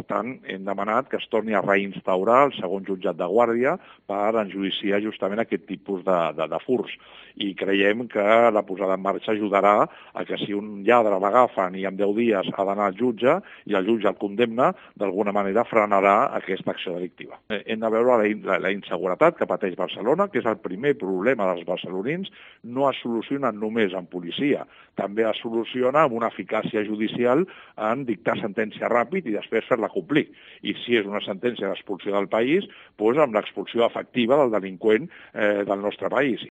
Per tant, hem demanat que es torni a reinstaurar el segon jutjat de guàrdia per enjudiciar justament aquest tipus de furts. I creiem que la posada en marxa ajudarà a que si un lladre l'agafen i en 10 dies ha d'anar al jutge i el jutge el condemna, d'alguna manera frenarà aquesta acció delictiva. Hem de veure la inseguretat que pateix Barcelona, que és el primer problema dels barcelonins, no es soluciona només amb policia, també es soluciona amb una eficàcia judicial en dictar sentència ràpid i després fer-la complir. I si és una sentència d'expulsió del país, doncs amb l'expulsió efectiva del delinqüent del nostre país.